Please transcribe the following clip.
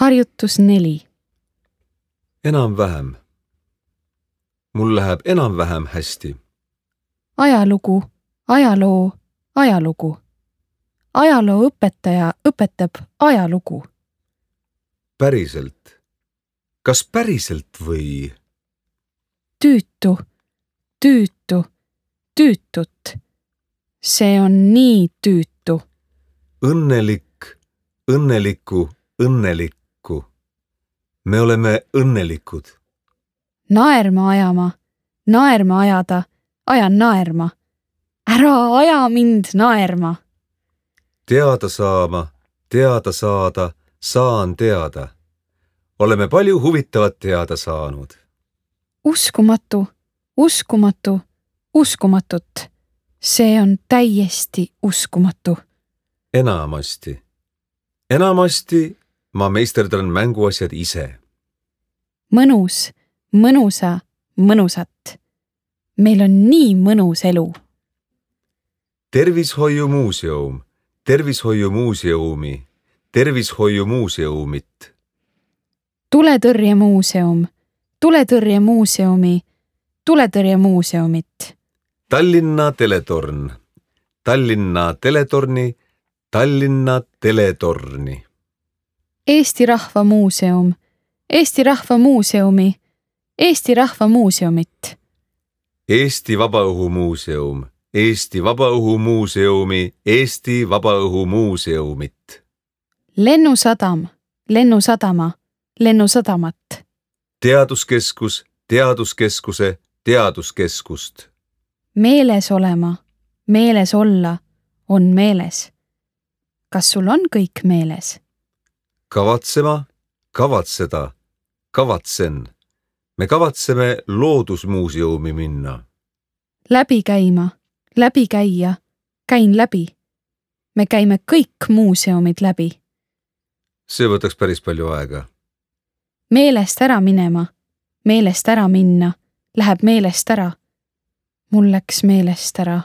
Harjutus 4. Enam-vähem. Mul läheb enam-vähem hästi. Ajalugu, ajaloo, ajalugu. Ajalooõpetaja õpetab ajalugu. Päriselt. Kas päriselt või? Tüütu, tüütu, tüütut. See on nii tüütu. Õnnelik, õnneliku, õnnelikku. Me oleme õnnelikud. Naerma ajama, naerma ajada, ajan naerma. Ära aja mind naerma. Teada saama, teada saada, saan teada. Oleme palju huvitavat teada saanud. Uskumatu, uskumatu, uskumatut. See on täiesti uskumatu. Enamasti. Enamasti ma meisterdan mänguasjad ise. Mõnus, mõnusa, mõnusat. Meil on nii mõnus elu. Tervishoiumuuseum, tervishoiumuuseumi, tervishoiumuuseumit. Tuletõrjemuuseum, tuletõrjemuuseumi, tuletõrjemuuseumit. Tallinna teletorn, Tallinna teletorni, Tallinna teletorni. Eesti Rahva Muuseum, Eesti Rahva Muuseumi, Eesti Rahva Muuseumit. Eesti Vabaõhumuuseum, Eesti Vabaõhumuuseumi, Eesti Vabaõhumuuseumit. Lennusadam, lennusadama, lennusadamat. Teaduskeskus, teaduskeskuse, teaduskeskust. Meeles olema, meeles olla, on meeles. Kas sul on kõik meeles? Kavatsema, kavatseda, kavatsen. Me kavatseme loodusmuuseumi minna. Läbi käima, läbi käia, käin läbi. Me käime kõik muuseumid läbi. See võtaks päris palju aega. Meelest ära minema, meelest ära minna, läheb meelest ära. Mul läks meelest ära.